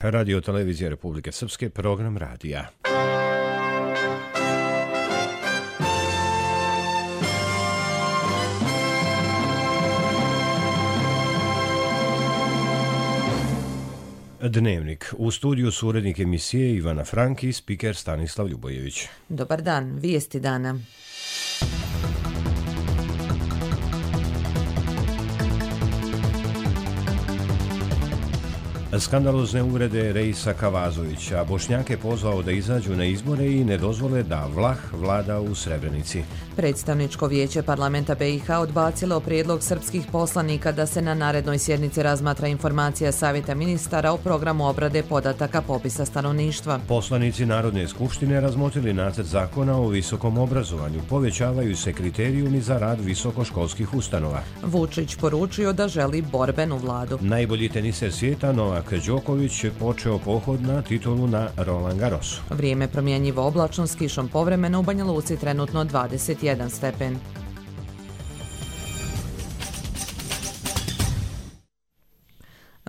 Radio Televizija Republike Srpske, program radija. Dnevnik. U studiju su urednik emisije Ivana Frank i spiker Stanislav Ljubojević. Dobar dan, vijesti dana. Skandalozne uvrede Reisa Kavazovića. Bošnjake pozvao da izađu na izbore i ne dozvole da Vlah vlada u Srebrenici. Predstavničko vijeće parlamenta BiH odbacilo prijedlog srpskih poslanika da se na narednoj sjednici razmatra informacija Savjeta ministara o programu obrade podataka popisa stanovništva. Poslanici Narodne skupštine razmotrili nacrt zakona o visokom obrazovanju. Povećavaju se kriterijumi za rad visokoškolskih ustanova. Vučić poručio da želi borbenu vladu. Najbolji teniser svijeta Novak Đoković je počeo pohod na titulu na Roland Garrosu. Vrijeme promjenjivo oblačno s kišom povremeno, u Banja Luci trenutno 21 stepen.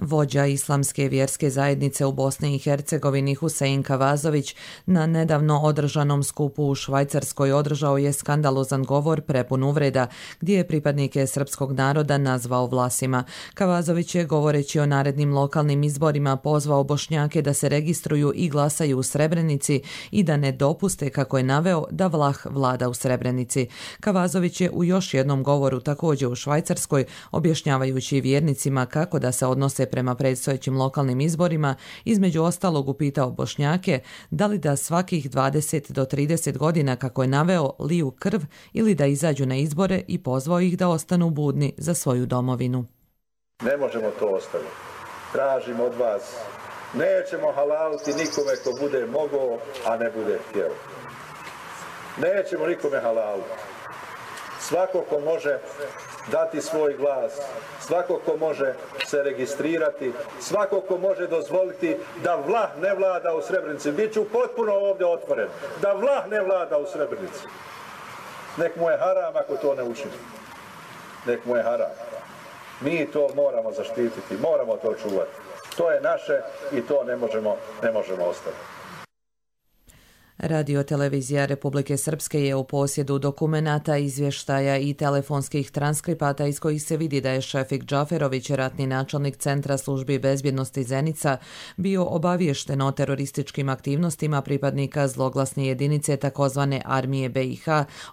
Vođa islamske vjerske zajednice u Bosni i Hercegovini Husein Kavazović na nedavno održanom skupu u Švajcarskoj održao je skandalozan govor prepun uvreda, gdje je pripadnike srpskog naroda nazvao Vlasima. Kavazović je, govoreći o narednim lokalnim izborima, pozvao Bošnjake da se registruju i glasaju u Srebrenici i da ne dopuste, kako je naveo, da Vlah vlada u Srebrenici. Kavazović je u još jednom govoru, također u Švajcarskoj, objašnjavajući vjernicima kako da se odnose prema predstojećim lokalnim izborima, između ostalog upitao Bošnjake da li da svakih 20 do 30 godina, kako je naveo, liju krv ili da izađu na izbore i pozvao ih da ostanu budni za svoju domovinu. Ne možemo to ostaviti. Tražimo od vas. Nećemo halaliti nikome ko bude mogao, a ne bude htjeo. Nećemo nikome halaliti. Svako ko može dati svoj glas, svako ko može se registrirati, svako ko može dozvoliti da Vlah ne vlada u Srebrenici. Biću potpuno ovdje otvoren. Da Vlah ne vlada u Srebrenici. Nek mu je haram ako to ne učini. Nek mu je haram. Mi to moramo zaštititi, moramo to čuvati. To je naše i to ne možemo ostaviti. Radio Televizija Republike Srpske je u posjedu dokumenata, izvještaja i telefonskih transkripata iz kojih se vidi da je Šefik Džaferović, ratni načelnik Centra službi bezbjednosti Zenica, bio obaviješten o terorističkim aktivnostima pripadnika zloglasne jedinice takozvane armije BiH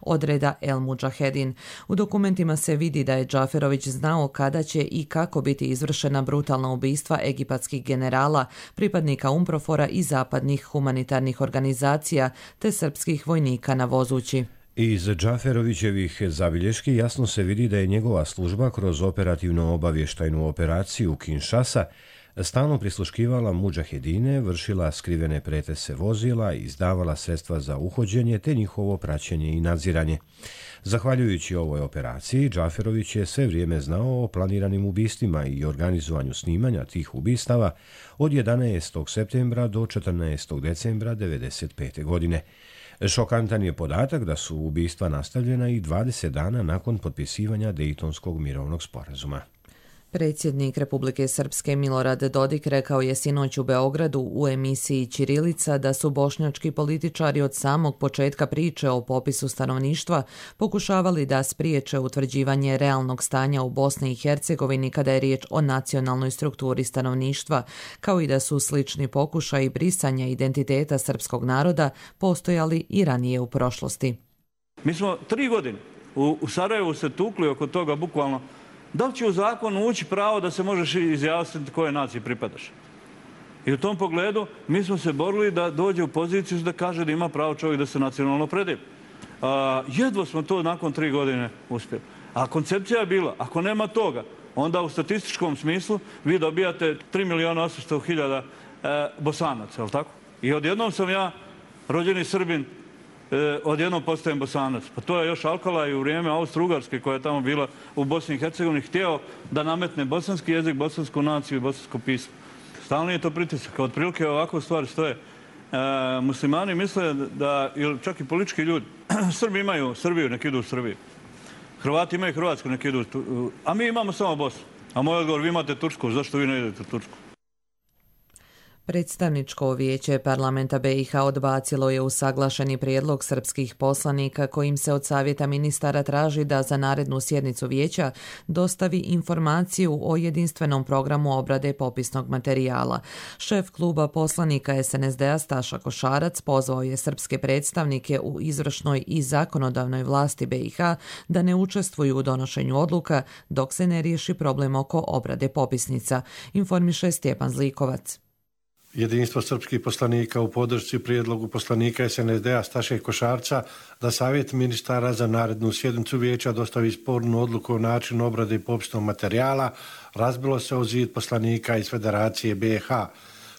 odreda El Mudžahedin. U dokumentima se vidi da je Džaferović znao kada će i kako biti izvršena brutalna ubistva egipatskih generala, pripadnika UNPROFOR-a i zapadnih humanitarnih organizacija te srpskih vojnika na Vozući. Iz Džaferovićevih zabilješki jasno se vidi da je njegova služba kroz operativno-obavještajnu operaciju Kinshasa stalno prisluškivala mudžahedine, vršila skrivene pretese vozila i izdavala sredstva za uhođenje te njihovo praćenje i nadziranje. Zahvaljujući ovoj operaciji, Džaferović je sve vrijeme znao o planiranim ubistvima i organizovanju snimanja tih ubistava od 11. septembra do 14. decembra 1995. godine. Šokantan je podatak da su ubistva nastavljena i 20 dana nakon potpisivanja Dejtonskog mirovnog sporazuma. Predsjednik Republike Srpske Milorad Dodik rekao je sinoć u Beogradu u emisiji Ćirilica da su bošnjački političari od samog početka priče o popisu stanovništva pokušavali da spriječe utvrđivanje realnog stanja u Bosni i Hercegovini kada je riječ o nacionalnoj strukturi stanovništva, kao i da su slični pokušaji brisanja identiteta srpskog naroda postojali i ranije u prošlosti. Mi smo 3 godine u Sarajevu se tukli oko toga bukvalno. Da li će u zakonu ući pravo da se možeš izjasniti koje naciji pripadaš? I u tom pogledu mi smo se borili da dođe u poziciju da kaže da ima pravo čovjek da se nacionalno opredeli. Jedva smo to nakon 3 godine uspjeli. A koncepcija je bila, ako nema toga, onda u statističkom smislu vi dobijate 3.800.000 Bosanaca, je li tako? I odjednom sam ja, rođeni Srbin, odjednom postajem Bosanac. Pa to je još Alkala i u vrijeme Austro-Ugarske koja je tamo bila u Bosni i Hercegovini htio da nametne bosanski jezik, bosansku naciju i bosansko pismo. Stalno je to pritisak. Otprilike ovako stvari stoje. Muslimani misle da, ili čak i politički ljudi, Srbi imaju Srbiju, nek idu u Srbiju. Hrvati imaju Hrvatsku, nek idu a mi imamo samo Bosnu. A moj odgovor, vi imate Tursku, zašto vi ne idete u Tursku? Predstavničko vijeće parlamenta BiH odbacilo je usaglašeni prijedlog srpskih poslanika kojim se od savjeta ministara traži da za narednu sjednicu vijeća dostavi informaciju o jedinstvenom programu obrade popisnog materijala. Šef kluba poslanika SNSD-a Staša Košarac pozvao je srpske predstavnike u izvršnoj i zakonodavnoj vlasti BiH da ne učestvuju u donošenju odluka dok se ne riješi problem oko obrade popisnica, informiše Stjepan Zlikovac. Jedinstvo srpskih poslanika u podršci prijedlogu poslanika SNSD-a Staše Košarca da savjet ministara za narednu sjednicu vijeća dostavi spornu odluku o načinu obrade popisnog materijala razbilo se o zid poslanika iz Federacije BiH.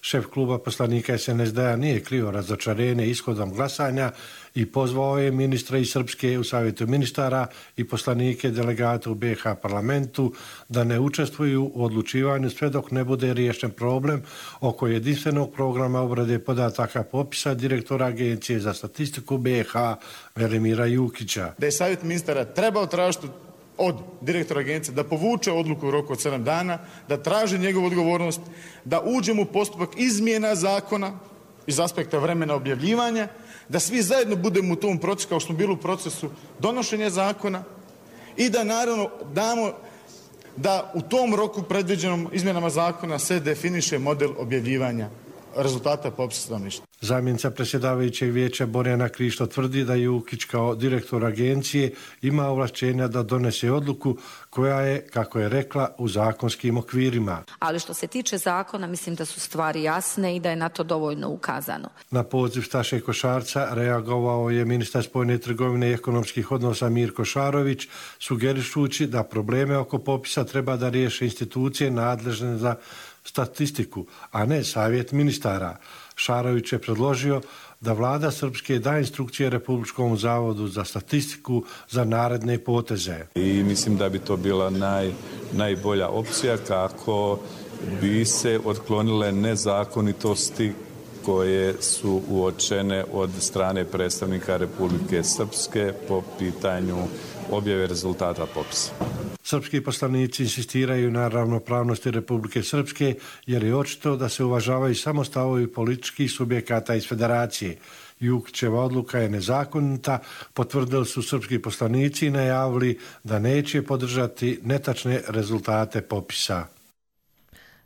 Šef kluba poslanika SNSD-a nije krio razočarenje ishodom glasanja i pozvao je ministra iz Srpske u savjetu ministara i poslanike delegata u BiH parlamentu da ne učestvuju u odlučivanju sve dok ne bude riješen problem oko jedinstvenog programa obrade podataka popisa direktora Agencije za statistiku BiH Velimira Jukića. Da je savjet ministara trebao tražiti od direktora agencije da povuče odluku u roku od 7 dana, da traži njegovu odgovornost, da uđemo u postupak izmjena zakona iz aspekta vremena objavljivanja, da svi zajedno budemo u tom procesu kao što smo bili u procesu donošenja zakona i da naravno damo da u tom roku predviđenom izmjenama zakona se definiše model objavljivanja rezultata popisa stanovništva. Zamjenica predsjedavajućeg vijeća Borjana Krišto tvrdi da Jukić kao direktor agencije ima ovlašćenja da donese odluku koja je, kako je rekla, u zakonskim okvirima. Ali što se tiče zakona, mislim da su stvari jasne i da je na to dovoljno ukazano. Na poziv Staše Košarca reagovao je ministar spoljne trgovine i ekonomskih odnosa Mirko Šarović, sugerišući da probleme oko popisa treba da riješe institucije nadležne za statistiku, a ne savjet ministara. Šarović je predložio da vlada Srpske da instrukcije Republičkom zavodu za statistiku za naredne poteze. I mislim da bi to bila najbolja opcija kako bi se otklonile nezakonitosti koje su uočene od strane predstavnika Republike Srpske po pitanju objave rezultata popisa. Srpski poslanici insistiraju na ravnopravnosti Republike Srpske jer je očito da se uvažavaju samo stavovi političkih subjekata iz Federacije. Jukićeva odluka je nezakonita, potvrdili su srpski poslanici i najavili da neće podržati netačne rezultate popisa.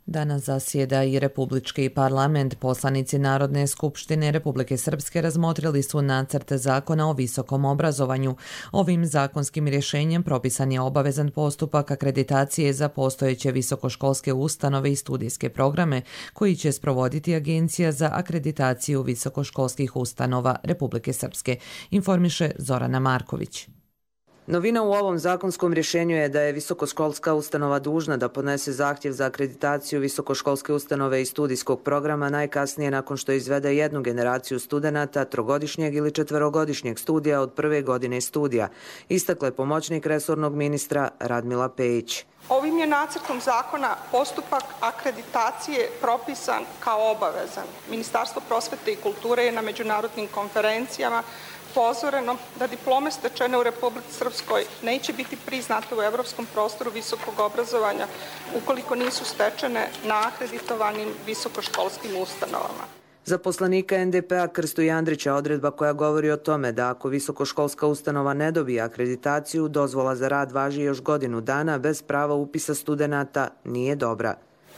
Danas zasjeda i Republički parlament. Poslanici Narodne skupštine Republike Srpske razmotrili su nacrt zakona o visokom obrazovanju. Ovim zakonskim rješenjem propisan je obavezan postupak akreditacije za postojeće visokoškolske ustanove i studijske programe koji će sprovoditi Agencija za akreditaciju visokoškolskih ustanova Republike Srpske, informiše Zorana Marković. Novina u ovom zakonskom rješenju je da je visokoškolska ustanova dužna da podnese zahtjev za akreditaciju visokoškolske ustanove i studijskog programa najkasnije nakon što izvede jednu generaciju studenata trogodišnjeg ili četverogodišnjeg studija od prve godine studija, istakla je pomoćnik resornog ministra Radmila Pejić. Ovim je nacrtom zakona postupak akreditacije propisan kao obavezan. Ministarstvo prosvete i kulture je na međunarodnim konferencijama upozoreno da diplome stečene u Republici Srpskoj neće biti priznate u evropskom prostoru visokog obrazovanja ukoliko nisu stečene na akreditovanim visokoškolskim ustanovama. Za poslanika NDP-a Krstu Jandrića odredba koja govori o tome da ako visokoškolska ustanova ne dobije akreditaciju, dozvola za rad važi još godinu dana bez prava upisa studenata nije dobra.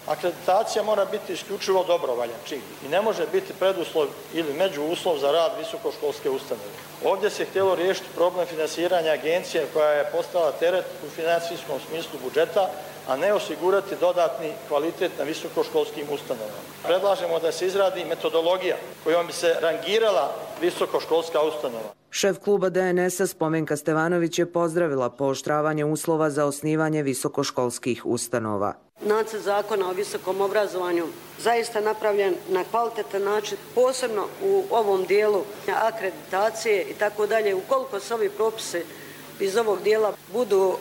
Akreditacija mora biti isključivo dobrovoljan čin i ne može biti preduslov ili međuuslov za rad visokoškolske ustanove. Ovdje se htjelo riješiti problem finansiranja agencije koja je postala teret u financijskom smislu budžeta, a ne osigurati dodatni kvalitet na visokoškolskim ustanovama. Predlažemo da se izradi metodologija kojom bi se rangirala visokoškolska ustanova. Šef kluba DNS-a Spomenka Stevanović je pozdravila pooštravanje uslova za osnivanje visokoškolskih ustanova. Nacrt zakona o visokom obrazovanju zaista napravljen na kvalitetan način, posebno u ovom dijelu akreditacije i tako dalje. Ukoliko se ovi propisi iz ovog dijela budu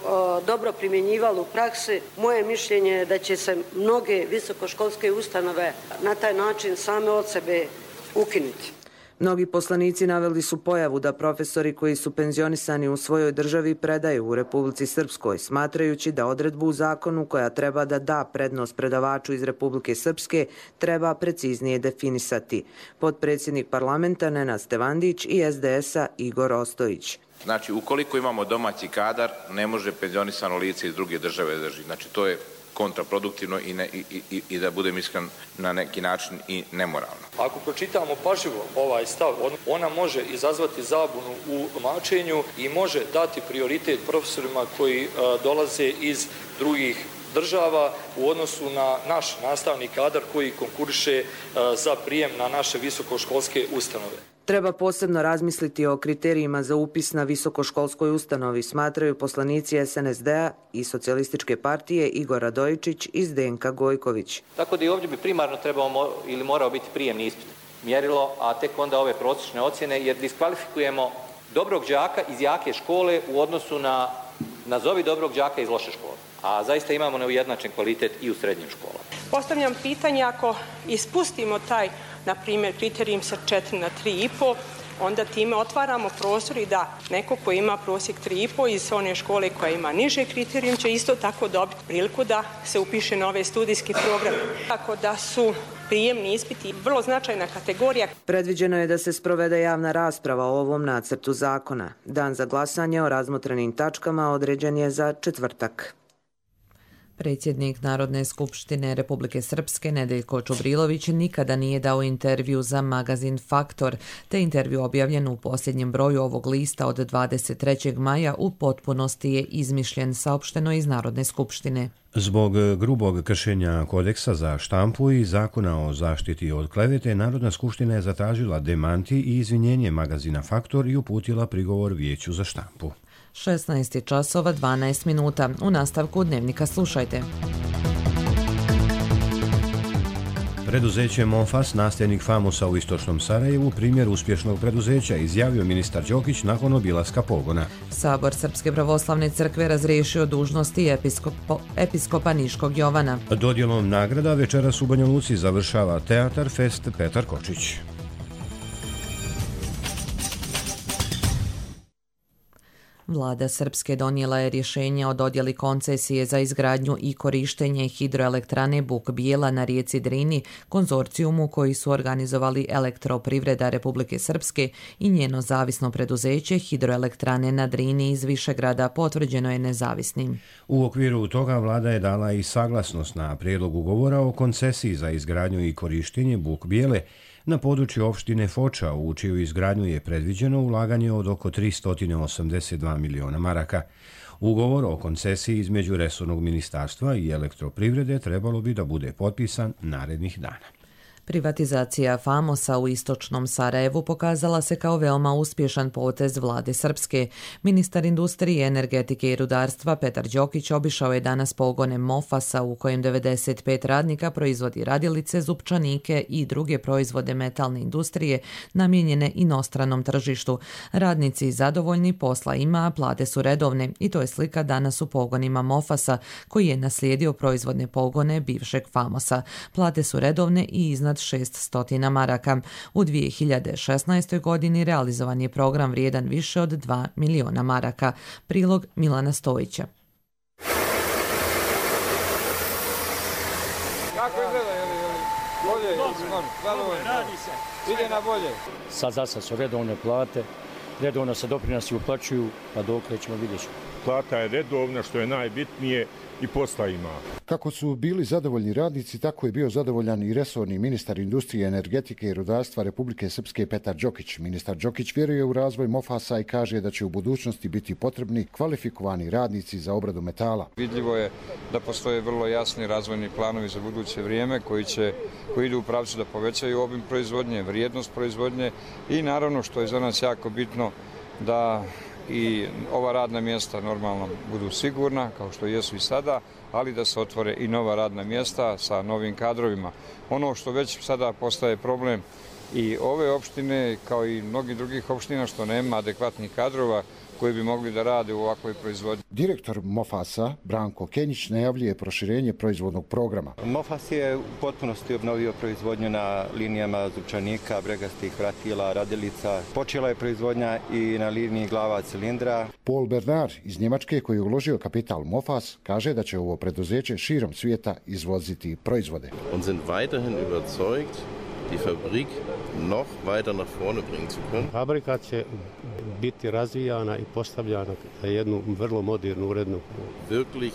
dobro primjenjivali u praksi, moje mišljenje je da će se mnoge visokoškolske ustanove na taj način same od sebe ukinuti. Mnogi poslanici naveli su pojavu da profesori koji su penzionisani u svojoj državi predaju u Republici Srpskoj, smatrajući da odredbu u zakonu koja treba da da prednost predavaču iz Republike Srpske treba preciznije definisati. Potpredsjednik parlamenta Nenad Stevandić i SDS-a Igor Ostojić. Znači, ukoliko imamo domaći kadar, ne može penzionisano lice iz druge države drži. Znači, to je kontraproduktivno i da budem iskren na neki način i nemoralno. Ako pročitamo pažljivo ovaj stav, ona može izazvati zabunu u tumačenju i može dati prioritet profesorima koji dolaze iz drugih država u odnosu na naš nastavni kadar koji konkuriše za prijem na naše visokoškolske ustanove. Treba posebno razmisliti o kriterijima za upis na visokoškolskoj ustanovi, smatraju poslanici SNSD-a i Socijalističke partije Igor Radojičić i Zdenka Gojković. Tako da i ovdje bi primarno trebao ili morao biti prijemni ispit mjerilo, a tek onda ove prosječne ocjene, jer diskvalifikujemo dobrog đaka iz jake škole u odnosu na nazovi dobrog đaka iz loše škole. A zaista imamo neujednačen kvalitet i u srednjim školama. Postavljam pitanje, ako ispustimo taj, na primjer, kriterijum sa 4 na 3,5, onda time otvaramo prostor i da neko ko ima prosjek 3,5 iz one škole koja ima niže kriterijum će isto tako dobiti priliku da se upiše na ove studijske programe. Tako da su prijemni ispiti vrlo značajna kategorija. Predviđeno je da se sprovede javna rasprava o ovom nacrtu zakona. Dan za glasanje o razmotrenim tačkama određen je za četvrtak. Predsjednik Narodne skupštine Republike Srpske Nedeljko Čubrilović nikada nije dao intervju za magazin Faktor, te intervju objavljen u posljednjem broju ovog lista od 23. maja u potpunosti je izmišljen, saopšteno iz Narodne skupštine. Zbog grubog kršenja kodeksa za štampu i zakona o zaštiti od klevete, Narodna skupština je zatražila demanti i izvinjenje magazina Faktor i uputila prigovor Vijeću za štampu. 16 časova 12 minuta. U nastavku dnevnika slušajte. Preduzeće Mofas, nasljednik Famosa u istočnom Sarajevu, primjer uspješnog preduzeća, izjavio ministar Đokić nakon obilaska pogona. Sabor Srpske pravoslavne crkve razriješio dužnosti episkopa Niškog Jovana. Dodjelom nagrada večeras u Banja Luci završava Teatar Fest Petar Kočić. Vlada Srpske donijela je rješenje o dodjeli koncesije za izgradnju i korištenje hidroelektrane Buk Bijela na rijeci Drini, konzorcijumu koji su organizovali Elektroprivreda Republike Srpske i njeno zavisno preduzeće Hidroelektrane na Drini iz Višegrada, potvrđeno je nezavisnim. U okviru toga vlada je dala i saglasnost na prijedlog ugovora o koncesiji za izgradnju i korištenje Buk Bijele na području opštine Foča, u čiju izgradnju je predviđeno ulaganje od oko 382 miliona maraka. Ugovor o koncesiji između resornog ministarstva i Elektroprivrede trebalo bi da bude potpisan narednih dana. Privatizacija Famosa u istočnom Sarajevu pokazala se kao veoma uspješan potez vlade Srpske. Ministar industrije, energetike i rudarstva Petar Đokić obišao je danas pogone Mofasa u kojem 95 radnika proizvodi radilice, zupčanike i druge proizvode metalne industrije namijenjene inostranom tržištu. Radnici zadovoljni, posla ima, plate su redovne i to je slika danas u pogonima Mofasa koji je naslijedio proizvodne pogone bivšeg Famosa. Plate su redovne i iznad 600 maraka. U 2016. godini realizovan je program vrijedan više od 2 miliona maraka. Prilog Milana Stojića. Kako izgleda? Bolje? Radi se. Ide na bolje. Sad su redovne plate, redovno se doprinosi uplaćuju, pa dokle ćemo vidjeti. Plata je redovna, što je najbitnije, i posla ima. Kako su bili zadovoljni radnici, tako je bio zadovoljan i resorni ministar industrije, energetike i rudarstva Republike Srpske Petar Đokić. Ministar Đokić vjeruje u razvoj Mofasa i kaže da će u budućnosti biti potrebni kvalifikovani radnici za obradu metala. Vidljivo je da postoje vrlo jasni razvojni planovi za buduće vrijeme koji idu u pravcu da povećaju obim proizvodnje, vrijednost proizvodnje i naravno što je za nas jako bitno da i ova radna mjesta normalno budu sigurna, kao što jesu i sada, ali da se otvore i nova radna mjesta sa novim kadrovima. Ono što već sada postaje problem i ove opštine, kao i mnogih drugih opština, što nema adekvatnih kadrova koji bi mogli da rade u ovakvoj proizvodnji. Direktor Mofasa, Branko Kenjić, najavljuje proširenje proizvodnog programa. Mofas je u potpunosti obnovio proizvodnju na linijama zupčanika, bregastih vratila, radilica. Počela je proizvodnja i na liniji glava cilindra. Paul Bernard iz Njemačke, koji je uložio kapital Mofas, kaže da će ovo preduzeće širom svijeta izvoziti proizvode. Und sind weiterhin überzeugt, die Fabrik noch weiter nach vorne bringen zu können. Fabrika će biti razvijana i postavljana za jednu vrlo modernu, urednu. Wirklich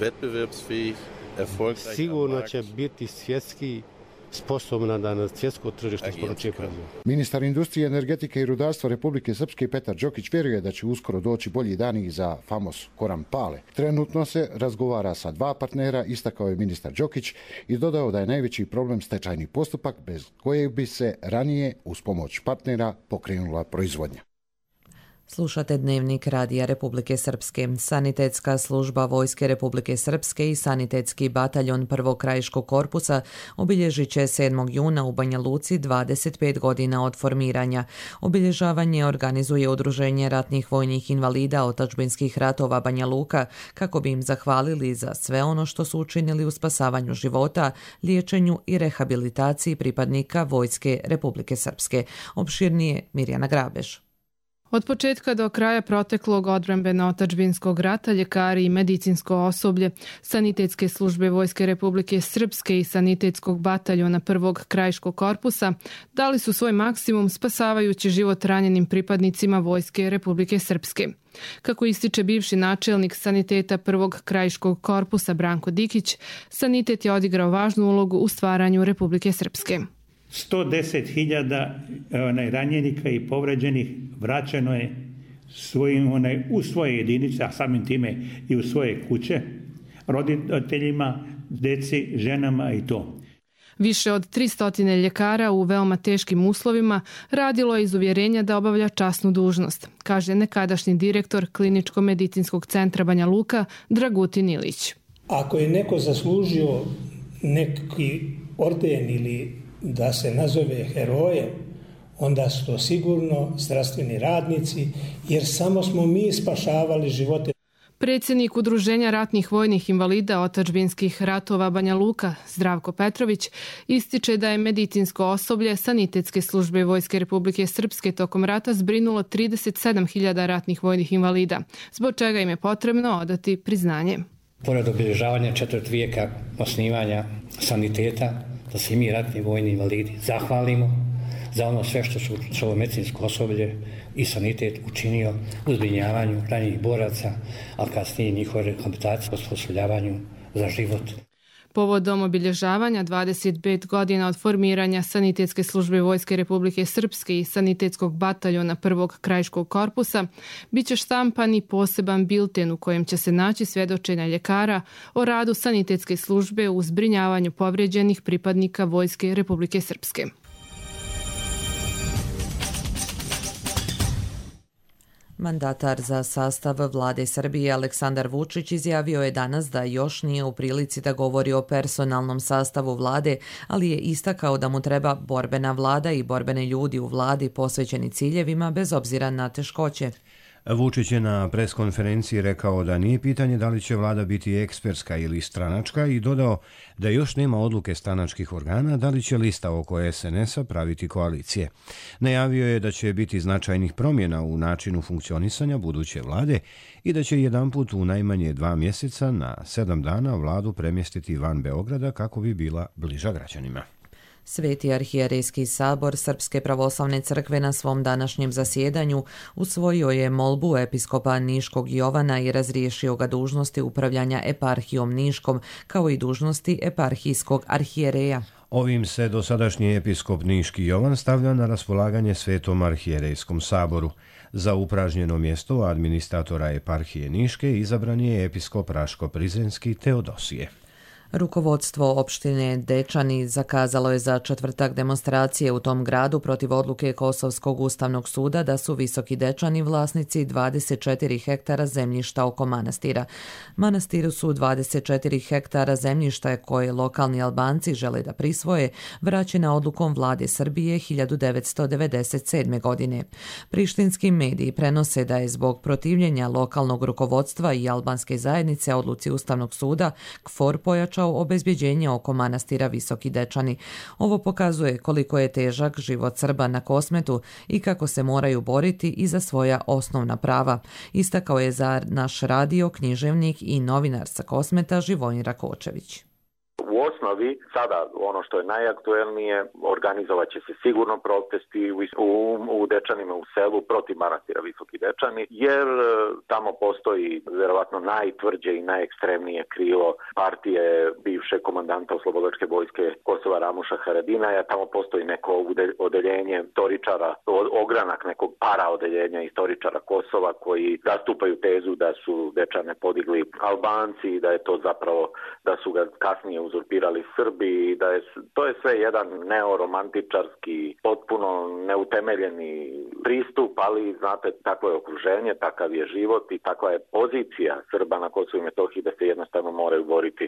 wettbewerbsfähig, erfolgreich. Sigurno će biti svjetski sposobna da na svjetsko tržište isporučuje proizvode. Ministar industrije, energetike i rudarstva Republike Srpske Petar Đokić vjeruje da će uskoro doći bolji dani za famos Koran Pale. Trenutno se razgovara sa 2 partnera, istakao je ministar Đokić i dodao da je najveći problem stečajni postupak bez kojeg bi se ranije uz pomoć partnera pokrenula proizvodnja. Slušate Dnevnik Radija Republike Srpske. Sanitetska služba Vojske Republike Srpske i Sanitetski bataljon Prvog krajiškog korpusa obilježit će 7. juna u Banja Luci 25 godina od formiranja. Obilježavanje organizuje Udruženje ratnih vojnih invalida otadžbinskih ratova Banja Luka kako bi im zahvalili za sve ono što su učinili u spasavanju života, liječenju i rehabilitaciji pripadnika Vojske Republike Srpske. Opširnije Mirjana Grabeš. Od početka do kraja proteklog odbrambeno-otadžbinskog rata ljekari i medicinsko osoblje Sanitetske službe Vojske Republike Srpske i Sanitetskog bataljona Prvog krajiškog korpusa dali su svoj maksimum spasavajući život ranjenim pripadnicima Vojske Republike Srpske. Kako ističe bivši načelnik saniteta Prvog krajiškog korpusa Branko Dikić, sanitet je odigrao važnu ulogu u stvaranju Republike Srpske. 110.000 ranjenika i povređenih vraćeno je u svoje jedinice, a samim time i u svoje kuće, roditeljima, deci, ženama i to. Više od 300 ljekara u veoma teškim uslovima radilo je iz uvjerenja da obavlja časnu dužnost, kaže nekadašnji direktor Kliničko-medicinskog centra Banja Luka Dragutin Ilić. Ako je neko zaslužio neki orden ili da se nazove heroje, onda su to sigurno zdravstveni radnici, jer samo smo mi spašavali živote. Predsjednik Udruženja ratnih vojnih invalida otadžbinskih ratova Banja Luka, Zdravko Petrović, ističe da je medicinsko osoblje Sanitetske službe Vojske Republike Srpske tokom rata zbrinulo 37.000 ratnih vojnih invalida, zbog čega im je potrebno odati priznanje. Pored obilježavanja 4. vijeka osnivanja saniteta, da se i mi ratni vojni invalidi zahvalimo za ono sve što ovo medicinsko osoblje i sanitet učinio u zbrinjavanju ranjenih boraca, ali kasnije njihove rehabilitacije, osposobljavanju za život. Povodom obilježavanja 25 godina od formiranja Sanitetske službe Vojske Republike Srpske i Sanitetskog bataljona Prvog krajiškog korpusa bit će štampan i poseban bilten u kojem će se naći svjedočenja ljekara o radu Sanitetske službe u zbrinjavanju povrijeđenih pripadnika Vojske Republike Srpske. Mandatar za sastav vlade Srbije Aleksandar Vučić izjavio je danas da još nije u prilici da govori o personalnom sastavu vlade, ali je istakao da mu treba borbena vlada i borbene ljudi u vladi posvećeni ciljevima bez obzira na teškoće. Vučić je na preskonferenciji rekao da nije pitanje da li će vlada biti ekspertska ili stranačka i dodao da još nema odluke stranačkih organa da li će lista oko SNS-a praviti koalicije. Najavio je da će biti značajnih promjena u načinu funkcionisanja buduće vlade i da će jedanput u najmanje 2 mjeseca na 7 dana vladu premjestiti van Beograda kako bi bila bliža građanima. Sveti arhijerejski sabor Srpske pravoslavne crkve na svom današnjem zasjedanju usvojio je molbu episkopa Niškog Jovana i razriješio ga dužnosti upravljanja eparhijom Niškom kao i dužnosti eparhijskog arhijereja. Ovim se dosadašnji episkop Niški Jovan stavlja na raspolaganje Svetom arhijerejskom saboru. Za upražnjeno mjesto administratora eparhije Niške izabran je episkop Raško Prizrenski Teodosije. Rukovodstvo opštine Dečani zakazalo je za četvrtak demonstracije u tom gradu protiv odluke Kosovskog ustavnog suda da su Visoki Dečani vlasnici 24 hektara zemljišta oko manastira. Manastiru su 24 hektara zemljišta koje lokalni Albanci žele da prisvoje, vraćena odlukom vlade Srbije 1997. godine. Prištinski mediji prenose da je zbog protivljenja lokalnog rukovodstva i albanske zajednice odluci Ustavnog suda KFOR pojačao obezbjeđenje oko manastira Visoki Dečani. Ovo pokazuje koliko je težak život Srba na Kosmetu i kako se moraju boriti i za svoja osnovna prava. Istakao je za naš radio književnik i novinar sa Kosmeta Živojin Rakočević. U osnovi, sada ono što je najaktuelnije, organizovat će se sigurno protesti u Dečanima, u selu, protiv manastira Visoki Dečani, jer tamo postoji vjerovatno najtvrđe i najekstremnije krilo partije bivšeg komandanta Oslobodilačke vojske Kosova Ramuša Haradinaja. Tamo postoji neko odeljenje istoričara, ogranak nekog paraodeljenja istoričara Kosova koji zastupaju tezu da su Dečane podigli Albanci i da je to zapravo, da su ga kasnije uzurpirali Srbi, da je to je sve jedan neoromantičarski, potpuno neutemeljeni pristup, ali znate, takvo je okruženje, takav je život i takva je pozicija Srba na Kosovu i Metohiji da se jednostavno moraju boriti.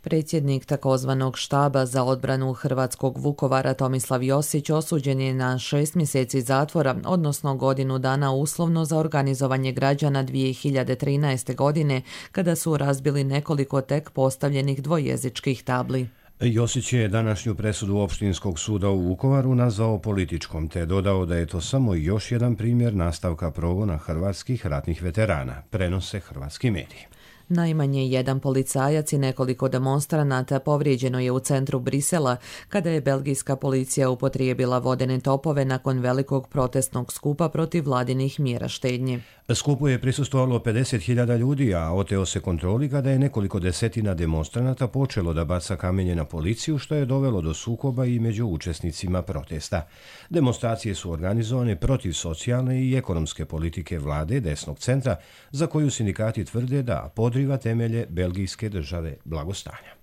Predsjednik takozvanog štaba za odbranu hrvatskog Vukovara Tomislav Josić osuđen je na 6 mjeseci zatvora, odnosno godinu dana uslovno za organizovanje građana 2013. godine, kada su razbili nekoliko tek postavljenih dvojezičkih tabli. Josić je današnju presudu Opštinskog suda u Vukovaru nazvao političkom, te dodao da je to samo još jedan primjer nastavka progona hrvatskih ratnih veterana, prenose hrvatski mediji. Najmanje jedan policajac i nekoliko demonstranata povrijeđeno je u centru Brisela kada je belgijska policija upotrijebila vodene topove nakon velikog protestnog skupa protiv vladinih mjera štednje. Skupu je prisustvovalo 50.000 ljudi, a oteo se kontroli kada je nekoliko desetina demonstranata počelo da baca kamenje na policiju, što je dovelo do sukoba i među učesnicima protesta. Demonstracije su organizovane protiv socijalne i ekonomske politike vlade desnog centra, za koju sindikati tvrde da podriva temelje belgijske države blagostanja.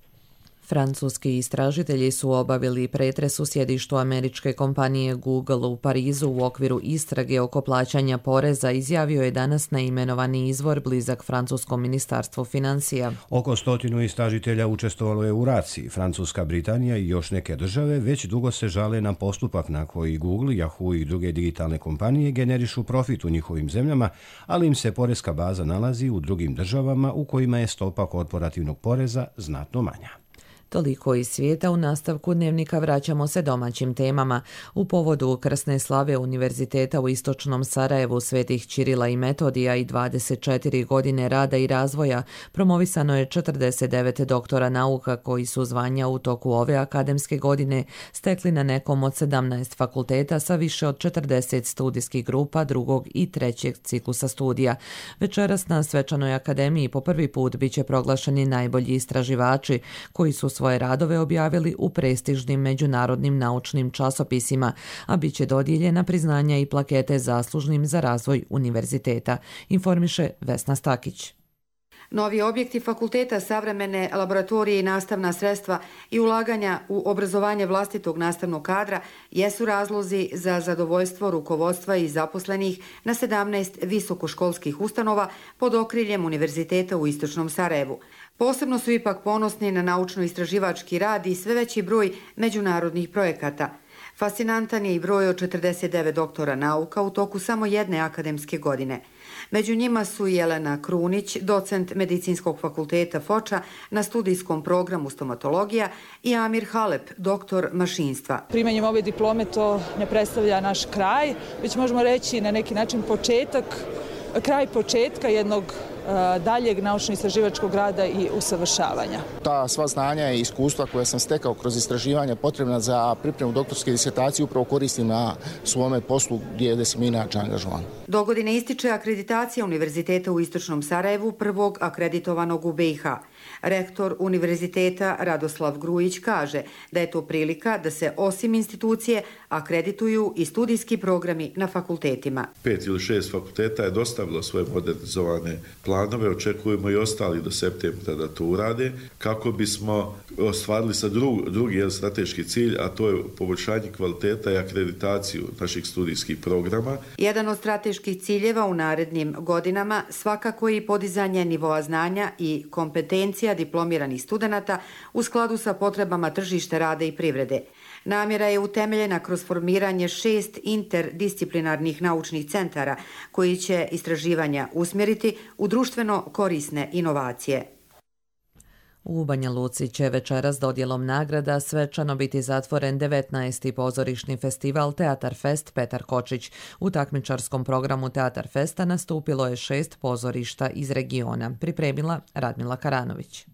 Francuski istražitelji su obavili pretres u sjedištu američke kompanije Google u Parizu u okviru istrage oko plaćanja poreza, izjavio je danas neimenovani izvor blizak francuskom ministarstvu financija. Oko 100 istražitelja učestvovalo je u raciji. Francuska, Britanija i još neke države već dugo se žale na postupak na koji Google, Yahoo i druge digitalne kompanije generišu profit u njihovim zemljama, ali im se porezka baza nalazi u drugim državama u kojima je stopa korporativnog poreza znatno manja. Toliko iz svijeta. U nastavku dnevnika vraćamo se domaćim temama. U povodu krsne slave Univerziteta u istočnom Sarajevu Svetih Ćirila i Metodija i 24 godine rada i razvoja promovisano je 49 doktora nauka koji su zvanja u toku ove akademske godine stekli na nekom od 17 fakulteta sa više od 40 studijskih grupa drugog i trećeg ciklusa studija. Večeras na Svečanoj akademiji po prvi put biće proglašeni najbolji istraživači koji su svoje radove objavili u prestižnim međunarodnim naučnim časopisima, a bit će dodijeljena priznanja i plakete zaslužnim za razvoj univerziteta, informiše Vesna Stakić. Novi objekti fakulteta, savremene laboratorije i nastavna sredstva i ulaganja u obrazovanje vlastitog nastavnog kadra jesu razlozi za zadovoljstvo rukovodstva i zaposlenih na 17 visokoškolskih ustanova pod okriljem Univerziteta u istočnom Sarajevu. Posebno su ipak ponosni na naučno-istraživački rad i sve veći broj međunarodnih projekata. Fascinantan je i broj od 49 doktora nauka u toku samo jedne akademske godine. Među njima su Jelena Krunić, docent Medicinskog fakulteta Foča na studijskom programu stomatologija, i Amir Halep, doktor mašinstva. Primanjem ove diplome to ne predstavlja naš kraj, već možemo reći na neki način kraj početka jednog daljeg naučno-istraživačkog rada i usavršavanja. Ta sva znanja i iskustva koje sam stekao kroz istraživanja potrebna za pripremu doktorske disertacije upravo koristim na svome poslu gdje sam inače angažovan. Dogodine ističe akreditacija Univerziteta u istočnom Sarajevu, prvog akreditovanog u BiH. Rektor Univerziteta Radoslav Grujić kaže da je to prilika da se osim institucije akredituju i studijski programi na fakultetima. 5 ili 6 fakulteta je dostavilo svoje modernizovane planove, očekujemo i ostali do septembra da to urade, kako bismo ostvarili sa drugi strateški cilj, a to je poboljšanje kvaliteta i akreditaciju naših studijskih programa. Jedan od strateških ciljeva u narednim godinama svakako i podizanje nivoa znanja i kompetencija diplomiranih studenata u skladu sa potrebama tržišta rada i privrede. Namjera je utemeljena kroz formiranje 6 interdisciplinarnih naučnih centara koji će istraživanja usmjeriti u društveno korisne inovacije. U Banja Luci će večeras dodjelom nagrada svečano biti zatvoren 19. pozorišni festival Teatar Fest Petar Kočić. U takmičarskom programu Teatar Festa nastupilo je 6 pozorišta iz regiona. Pripremila Radmila Karanović.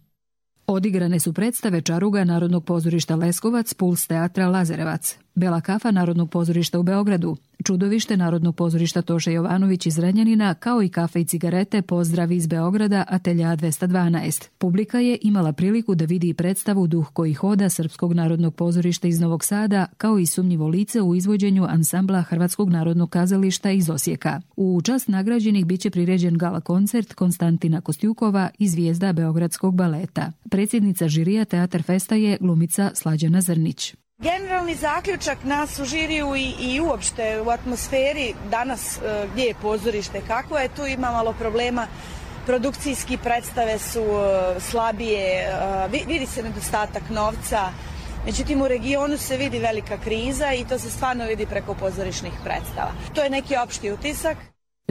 Odigrane su predstave Čaruga Narodnog pozorišta Leskovac, Puls teatra Lazarevac, Bela kafa Narodnog pozorišta u Beogradu, Čudovište Narodnog pozorišta Toše Jovanović iz Renjanina, kao i Kafe i cigarete Pozdrav iz Beograda, Atelja 212. Publika je imala priliku da vidi predstavu Duh koji hoda Srpskog narodnog pozorišta iz Novog Sada, kao i Sumnjivo lice u izvođenju ansambla Hrvatskog narodnog kazališta iz Osijeka. U čast nagrađenih biće priređen gala koncert Konstantina Kostjukova i zvijezda Beogradskog baleta. Predsjednica žirija Teatar Festa je glumica Slađana Zrnić. Generalni zaključak nas u žiriju i uopšte u atmosferi danas gdje je pozorište, kako je, tu ima malo problema, produkcijski predstave su slabije, vidi se nedostatak novca, međutim u regionu se vidi velika kriza i to se stvarno vidi preko pozorišnih predstava. To je neki opšti utisak.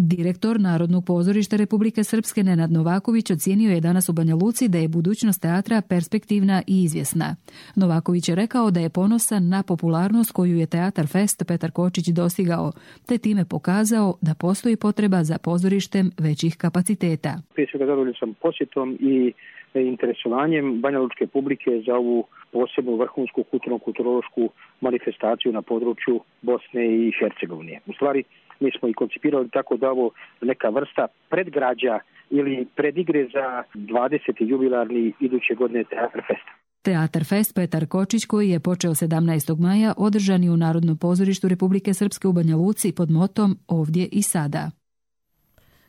Direktor Narodnog pozorišta Republike Srpske Nenad Novaković ocijenio je danas u Banja Luci da je budućnost teatra perspektivna i izvjesna. Novaković je rekao da je ponosan na popularnost koju je Teatar Fest Petar Kočić dostigao, te time pokazao da postoji potreba za pozorištem većih kapaciteta. Prije svega zadovoljan sam posjetom i interesovanjem banjalučke publike za ovu posebnu vrhunsku kulturno-kulturološku manifestaciju na području Bosne i Hercegovine. U stvari, mi smo i koncipirali tako da ovo neka vrsta predgrađa ili predigre za 20. jubilarni iduće godine Teatar Festa. Teatar Fest Petar Kočić, koji je počeo 17. maja, održan je u Narodnom pozorištu Republike Srpske u Banja Luci pod motom Ovdje i sada.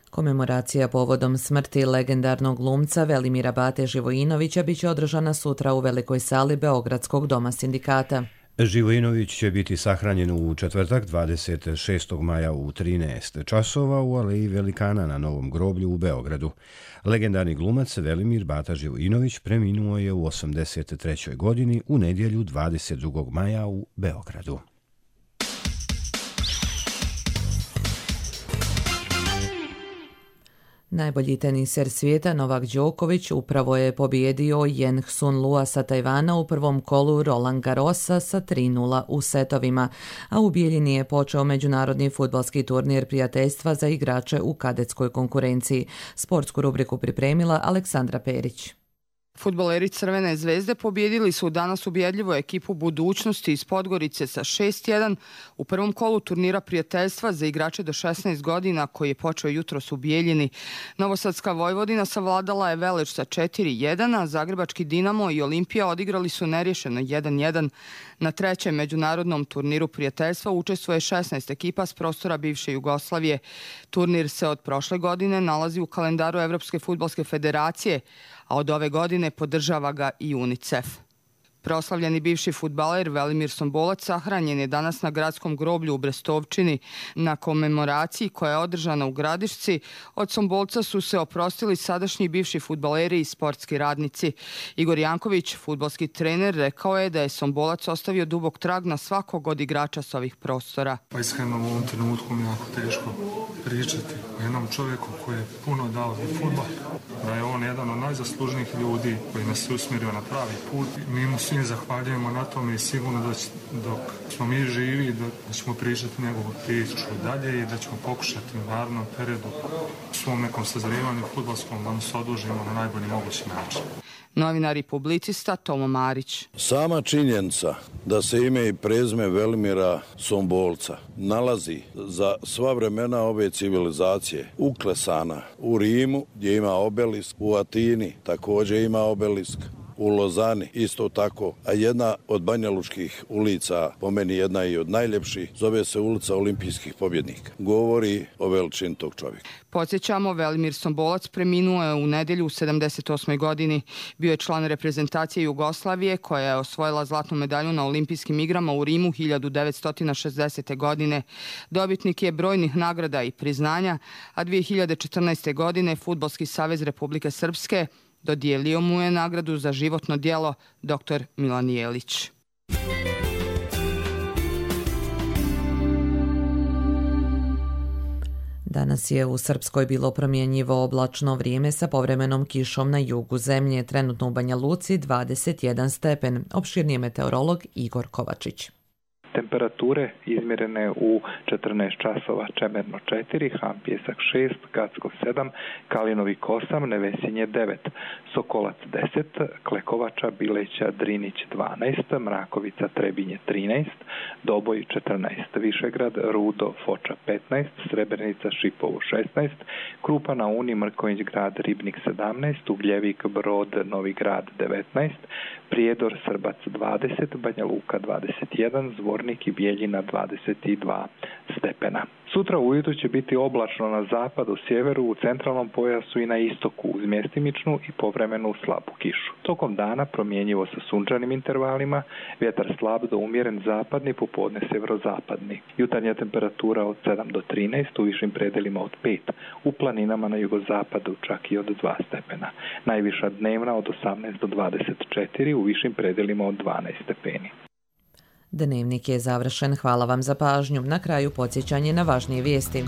Komemoracija povodom smrti legendarnog glumca Velimira Bate Živojinovića biće održana sutra u velikoj sali Beogradskog doma sindikata. Živojinović će biti sahranjen u četvrtak 26. maja u 13 časova u Aleji Velikana na Novom groblju u Beogradu. Legendarni glumac Velimir Bata Živojinović preminuo je u 83. godini u nedjelju 22. maja u Beogradu. Najbolji teniser svijeta Novak Đoković upravo je pobijedio Yen Sun Lua sa Tajvana u prvom kolu Roland Garrosa sa 3:0 u setovima, a u Bijeljini je počeo međunarodni fudbalski turnir prijateljstva za igrače u kadetskoj konkurenciji. Sportsku rubriku pripremila Aleksandra Perić. Fudbaleri Crvene zvezde pobijedili su danas ubjedljivo ekipu Budućnosti iz Podgorice sa 6:1 u prvom kolu turnira prijateljstva za igrače do 16 godina koji je počeo jutros u Bijeljini. Novosadska Vojvodina savladala je Veleš sa 4:1, a Zagrebački Dinamo i Olimpija odigrali su neriješeno 1:1. Na trećem međunarodnom turniru prijateljstva učestvuje 16 ekipa s prostora bivše Jugoslavije. Turnir se od prošle godine nalazi u kalendaru Evropske fudbalske federacije, a od ove godine podržava ga i UNICEF. Proslavljeni bivši fudbaler Velimir Sombolac sahranjen je danas na gradskom groblju u Brestovčini. Na komemoraciji koja je održana u Gradišci, od Sombolca su se oprostili sadašnji bivši fudbaleri i sportski radnici. Igor Janković, fudbalski trener, rekao je da je Sombolac ostavio dubok trag na svakog od igrača s ovih prostora. Pa iskreno u ovom trenutku mi je jako teško pričati o jednom čovjeku koji je puno dao za fudbal, da je on jedan od najzaslužnijih ljudi koji nas je usmjerio na pravi put. Mi mu svim zahvaljujemo na tome i sigurno da dok smo mi živi da ćemo pričati njegovu priču dalje i da ćemo pokušati u narednom periodu u svom nekom sazrijevanju fudbalskom da mu se odužimo na najbolji mogući način. Novinar i publicista Tomo Marić. Sama činjenica da se ime i prezime Velimira Sombolca nalazi za sva vremena ove civilizacije uklesana u Rimu gdje ima obelisk, u Atini također ima obelisk, u Lozani isto tako, a jedna od banjalučkih ulica, po meni jedna i od najljepših, zove se ulica Olimpijskih pobjednika. Govori o veličini tog čovjeka. Podsjećamo, Velimir Sombolac preminuo je u nedjelju u 78. godini. Bio je član reprezentacije Jugoslavije koja je osvojila zlatnu medalju na Olimpijskim igrama u Rimu 1960. godine. Dobitnik je brojnih nagrada i priznanja, a 2014. godine Fudbalski savez Republike Srpske dodijelio mu je nagradu za životno djelo dr. Milan Jelić. Danas je u Srpskoj bilo promjenjivo oblačno vrijeme sa povremenom kišom na jugu zemlje, trenutno u Banja Luci 21 stepen. Opširni je meteorolog Igor Kovačić. Temperature izmjerene u 14 časova: Čemerno 4, Han Pjesak 6, Gacko 7, Kalinovik 8, Nevesinje 9, Sokolac 10, Klekovača, Bileća, Drinić 12, Mrakovica, Trebinje 13, Doboj 14, Višegrad, Rudo, Foča 15, Srebrenica, Šipovo 16, Krupa na Uni, Mrković grad, Ribnik 17, Ugljevik, Brod, Novi grad 19, Prijedor, Srbac 20, Banja Luka 21, Zvornik i Bijeljina 22 stepena. Sutra ujutro će biti oblačno na zapadu, sjeveru, u centralnom pojasu i na istoku uz mjestimičnu i povremenu slabu kišu. Tokom dana promjenjivo sa sunčanim intervalima, vjetar slab do umjeren zapadni, popodne sjeverozapadni. Jutarnja temperatura od 7 do 13, u višim predelima od 5, u planinama na jugozapadu čak i od 2 stepena. Najviša dnevna od 18 do 24, u višim predelima od 12 stepeni. Dnevnik je završen. Hvala vam za pažnju. Na kraju podsjećanje na važnije vijesti.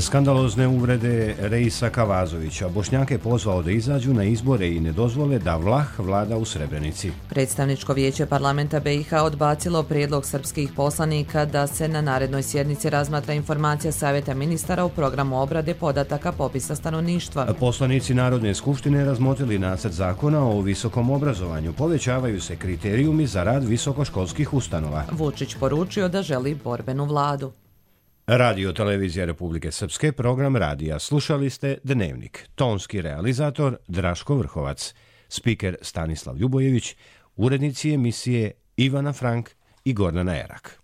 Skandalozne uvrede Reisa Kavazovića Bošnjake pozvao da izađu na izbore i ne dozvole da Vlah vlada u Srebrenici. Predstavničko vijeće parlamenta BiH odbacilo prijedlog srpskih poslanika da se na narednoj sjednici razmatra informacija Savjeta ministara u programu obrade podataka popisa stanovništva. Poslanici Narodne skupštine razmotrili nacrt zakona o visokom obrazovanju. Povećavaju se kriterijumi za rad visokoškolskih ustanova. Vučić poručio da želi borbenu vladu. Radio Televizija Republike Srpske, program radija. Slušali ste Dnevnik. Tonski realizator Draško Vrhovac. Spiker Stanislav Ljubojević. Urednici emisije Ivana Frank i Gordana Erak.